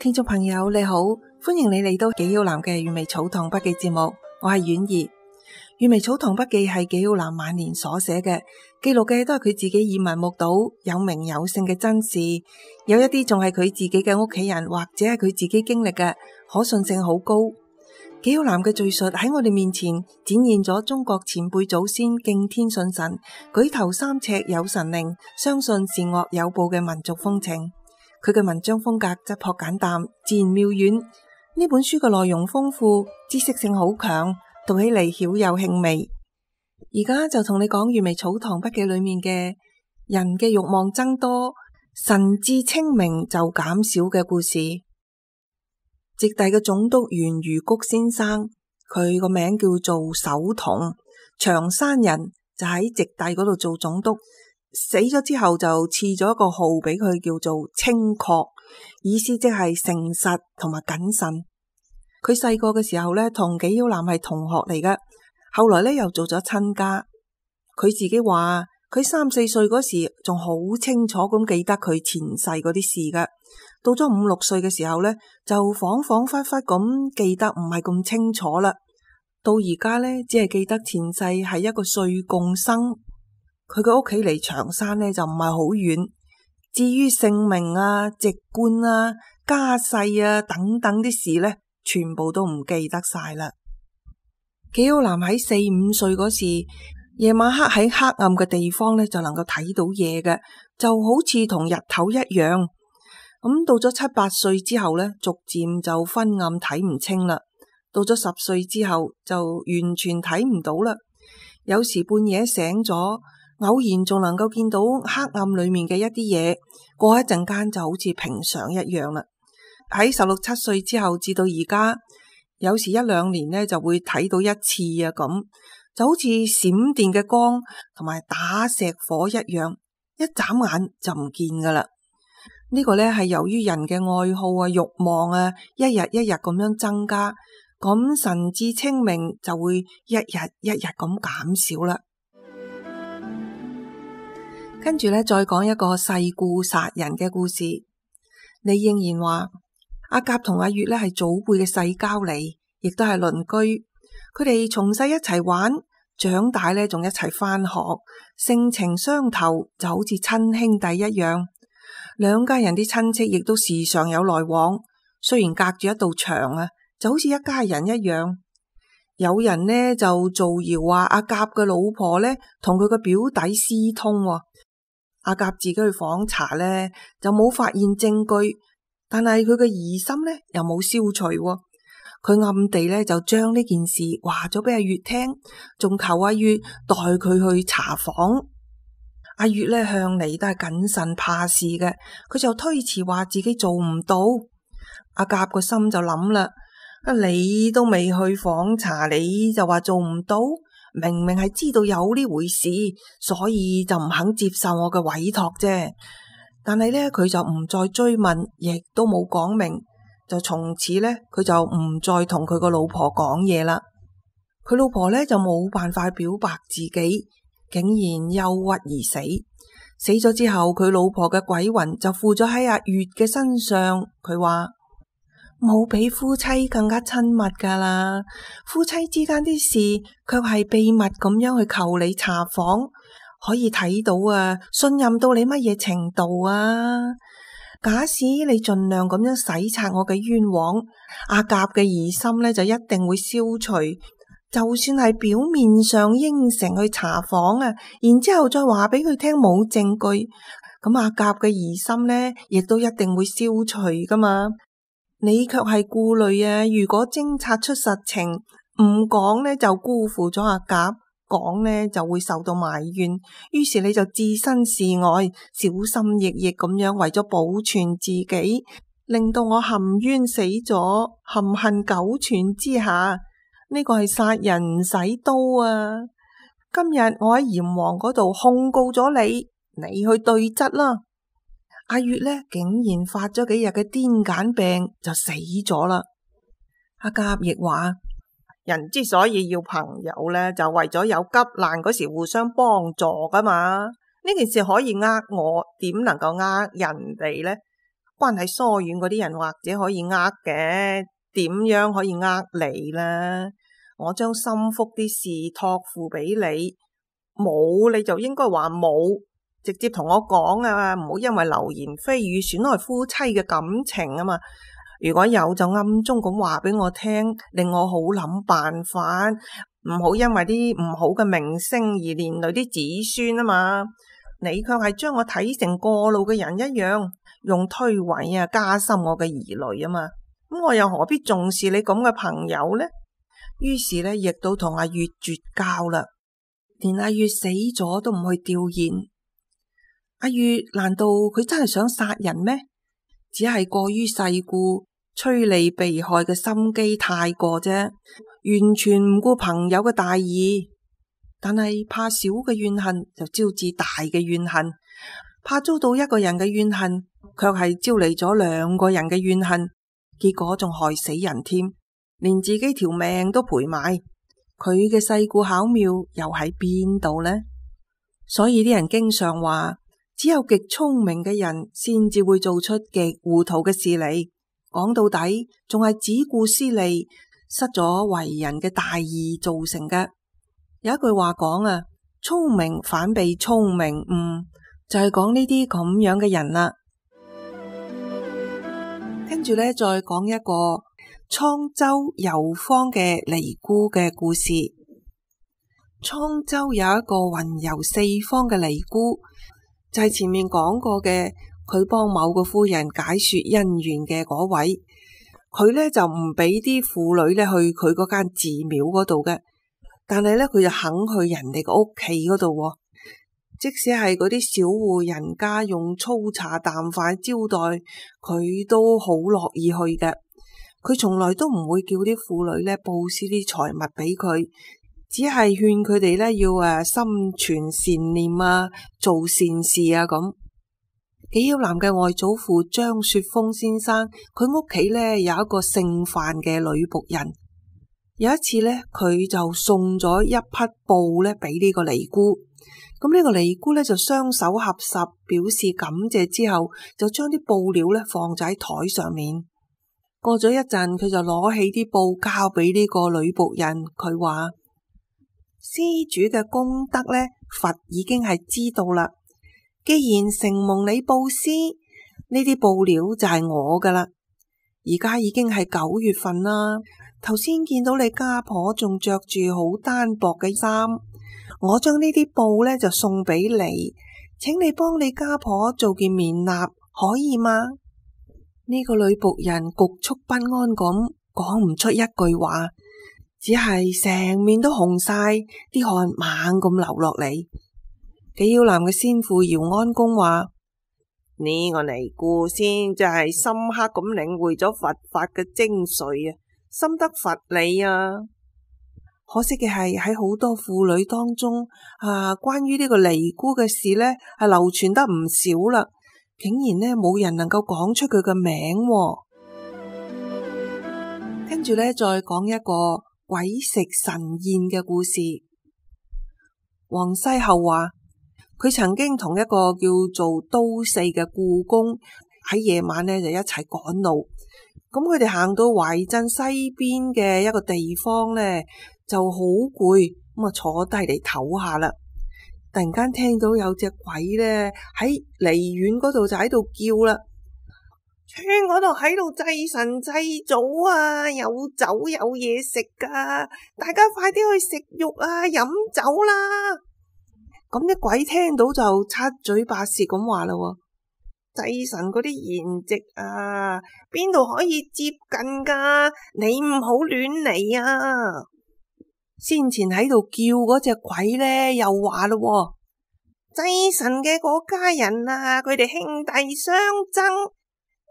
聽眾朋友你好，歡迎你嚟到紀曉嵐嘅《閱微草堂筆記》節目，我係婉兒。《閱微草堂筆記》係紀曉嵐晚年所寫嘅，記錄嘅都係佢自己耳聞目睹、有名有姓嘅真事，有一啲仲係佢自己嘅屋企人或者係佢自己經歷嘅，可信性好高。紀曉嵐嘅敘述喺我哋面前展現咗中國前輩祖先敬天信神、舉頭三尺有神靈、相信善惡有報嘅民族風情。佢嘅文章風格質樸簡淡，自然妙遠。呢本書嘅內容豐富，知識性好強，讀起嚟曉有興味。而家就同你講《閱微草堂筆記》裏面嘅人嘅慾望增多，神志清明就減少嘅故事。直隸嘅總督袁如谷先生，佢個名叫做守同，長山人，就喺直隸嗰度做總督。死咗之後就賜咗一個號俾佢，叫做清確，意思即係誠實同埋謹慎。佢細個嘅時候呢，同紀曉嵐係同學嚟嘅，後來呢又做咗親家。佢自己話佢3、4歲嗰時仲好清楚咁記得佢前世嗰啲事㗎，到咗5、6歲嘅時候呢，就恍恍惚惚咁記得唔係咁清楚啦。到而家呢，只係記得前世係一個歲貢生。佢嘅屋企離長山呢就唔係好遠，至於姓名啊、籍貫啊、家世啊等等啲事呢，全部都唔記得晒啦。紀曉嵐喺4、5歲嗰時，夜晚黑喺黑暗嘅地方呢就能夠睇到嘢嘅，就好似同日頭一樣。咁到咗7、8歲之後呢，逐漸就昏暗睇唔清啦。到咗10歲之後就完全睇唔到啦。有時半夜醒咗，偶然仲能夠見到黑暗裏面嘅一啲嘢，過一陣間就好似平常一樣啦。喺16、17歲之後至到而家，有時1、2年呢就會睇到一次啊，咁就好似閃電嘅光同埋打石火一樣，一眨眼就唔見噶啦。呢個呢係由於人嘅愛好啊、慾望啊，一日一日咁樣增加，咁神志清明就會一日一日咁減少啦。跟住呢，再講一個世故殺人嘅故事。李應然話阿甲同阿月呢係祖輩嘅世交嚟，亦都係鄰居。佢哋從細一齊玩，長大呢仲一齊返學，性情相投，就好似親兄弟一樣。兩家人啲親戚亦都時常有來往，雖然隔住一道牆啊，就好似一家人一樣。有人呢就造謠話阿甲嘅老婆呢同佢個表弟私通。阿甲自己去訪查呢，就冇發現證據，但係佢嘅疑心呢又冇消除。佢暗地呢就將呢件事話咗俾阿月聽，仲求阿月代佢去查訪。阿月呢向嚟都係謹慎怕事嘅，佢就推辭話自己做唔到。阿甲個心就諗啦，你都未去訪查，你就話做唔到？明明係知道有呢回事，所以就唔肯接受我嘅委託啫。但係呢，佢就唔再追問，亦都冇講明，就從此呢，佢就唔再同佢個老婆講嘢啦。佢老婆呢，就冇辦法表白自己，竟然憂鬱而死。死咗之後，佢老婆嘅鬼魂就附咗喺阿月嘅身上。佢話冇比夫妻更加親密噶啦，夫妻之間啲事卻係秘密咁樣去求你查訪，可以睇到啊，信任到你乜嘢程度啊？假使你盡量咁樣洗刷我嘅冤枉，阿甲嘅疑心呢就一定會消除。就算係表面上應承去查訪啊，然之後再話俾佢聽冇證據，咁阿甲嘅疑心呢亦都一定會消除噶嘛。你卻係顧慮啊，如果偵察出實情，唔講呢就辜負咗阿甲，講呢就會受到埋怨，於是你就置身事外，小心翼翼咁樣為咗保存自己，令到我含冤死咗，含恨苟存之下。呢個係殺人唔使刀啊！今日我喺閻王嗰度控告咗你，你去對質啦。阿月呢竟然發咗幾日嘅癲癇病就死咗啦。阿甲亦話，人之所以要朋友呢，就為咗有急難嗰時互相幫助噶嘛。呢件事可以呃我，點能夠呃人哋呢？關係疏遠嗰啲人或者可以呃嘅，點樣可以呃你呢？我將心腹啲事託付俾你，冇你就應該話冇，直接同我講啊，唔好因為流言蜚語損害夫妻嘅感情啊嘛。如果有就暗中咁話俾我聽，令我好諗辦法，唔好因為啲唔好嘅名聲而連累啲子孫啊嘛。你卻係將我睇成過路嘅人一樣，用推諉啊加深我嘅疑慮啊嘛。咁我又何必重視你咁嘅朋友呢？於是呢，亦都同阿月絕交啦，連阿月死咗都唔去弔唁。阿月難道佢真係想殺人咩？只係過於世故，趨利避害嘅心機太過啫，完全唔顧朋友嘅大義。但係怕小嘅怨恨就招致大嘅怨恨，怕遭到一個人嘅怨恨，卻係招嚟咗兩個人嘅怨恨，結果仲害死人添，連自己條命都賠埋。佢嘅世故巧妙又喺邊度呢？所以啲人經常話，只有極聰明嘅人先至會做出極糊塗嘅事嚟。講到底，仲係只顧私利，失咗為人嘅大義造成嘅。有一句話講啊，聰明反被聰明誤，就係講呢啲咁樣嘅人啦。跟住呢，再講一個滄州遊方嘅尼姑嘅故事。滄州有一個雲遊四方嘅尼姑，就係前面講過嘅，佢幫某個夫人解說姻緣嘅嗰位。佢呢就唔俾啲婦女呢去佢嗰間寺廟嗰度嘅，但係呢，佢就肯去人哋個屋企嗰度，即使係嗰啲小戶人家用粗茶淡飯招待，佢都好樂意去嘅。佢從來都唔會叫啲婦女呢布施啲財物俾佢，只係勸佢哋呢要心存善念啊，做善事啊咁。紀曉嵐嘅外祖父張雪峰先生，佢屋企呢有一個姓范嘅女僕人。有一次呢，佢就送咗一匹布呢俾呢個尼姑。咁呢個尼姑呢就雙手合十表示感謝之後，就將啲布料呢放喺台上面。過咗一陣，佢就攞起啲布交俾呢個女僕人。佢話：施主嘅功德呢，佛已經係知道啦。既然承蒙你布施，呢啲布料就係我噶啦。而家已經係9月份啦，頭先見到你家婆仲着住好單薄嘅衫，我將呢啲布呢就送俾你，請你幫你家婆做件棉衲，可以嗎？呢個女僕人局促不安咁講唔出一句話，只係成面都紅晒，啲汗猛咁流落嚟。紀曉嵐嘅先父姚安公話：呢個尼姑先就係深刻咁領會咗佛法嘅精髓啊，深得佛理啊。可惜嘅係喺好多婦女當中關於呢個尼姑嘅事呢係流傳得唔少啦，竟然呢冇人能夠講出佢嘅名。跟住呢，再講一個鬼食神宴嘅故事。王西后話，佢曾經同一個叫做都四嘅故宮喺夜晚呢就一齊趕路，咁佢哋行到懷鎮西邊嘅一個地方呢就好攰，咁坐低嚟唞下啦。突然間聽到有隻鬼呢喺離遠嗰度就喺度叫啦，村嗰度喺度祭神祭祖啊，有酒有嘢食噶，大家快啲去食肉啊，飲酒啦！咁啲鬼聽到就七嘴八舌咁話啦，祭神嗰啲筵席啊，邊度可以接近噶？你唔好亂嚟啊！先前喺度叫嗰隻鬼呢，又話咯，祭神嘅嗰家人啊，佢哋兄弟相爭，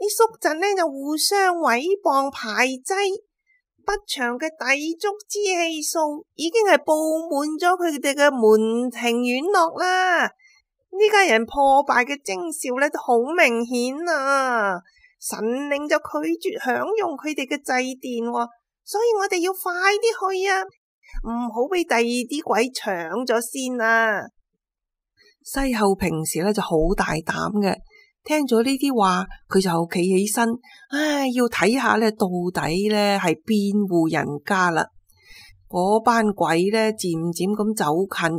啲宿姪呢就互相毀謗排擠。不祥嘅抵觸之氣數已經係布滿咗佢哋嘅門庭院落啦，呢家人破敗嘅徵兆呢都好明顯啊！神靈就拒絕享用佢哋嘅祭奠，所以我哋要快啲去啊，唔好俾第二啲鬼搶咗先啊！西后平時呢就好大膽嘅，聽咗呢啲話，佢就企起身，要睇下咧到底咧係邊戶人家啦。嗰班鬼咧漸漸咁走近，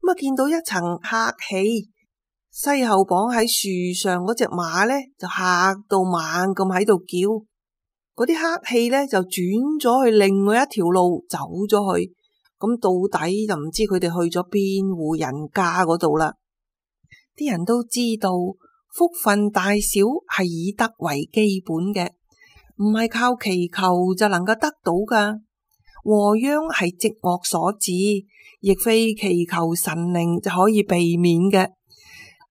咁啊見到一層黑氣，西後綁喺樹上嗰隻馬咧就嚇到猛咁喺度叫。嗰啲黑氣咧就轉咗去另外一條路走咗去，咁到底就唔知佢哋去咗邊戶人家嗰度啦。啲人都知道福分大小係以德為基本嘅，唔係靠祈求就能夠得到噶。禍殃係積惡所致，亦非祈求神靈就可以避免嘅。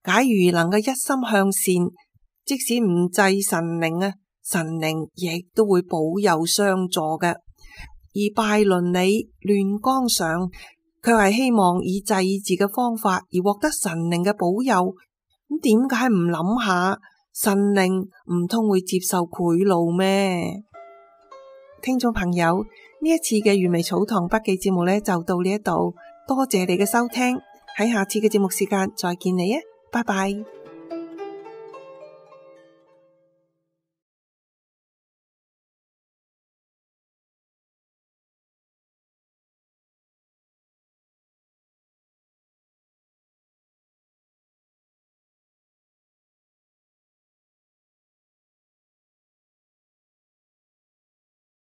假如能夠一心向善，即使唔祭神靈啊，神靈亦都會保佑相助嘅。而拜倫理亂綱上，佢係希望以祭祀嘅方法而獲得神靈嘅保佑。咁點解唔諗下神靈唔通會接受賄賂咩？聽眾朋友，呢一次嘅原味草堂筆記節目呢就到呢一度，多謝你嘅收聽，喺下次嘅節目時間再見你啊，拜拜。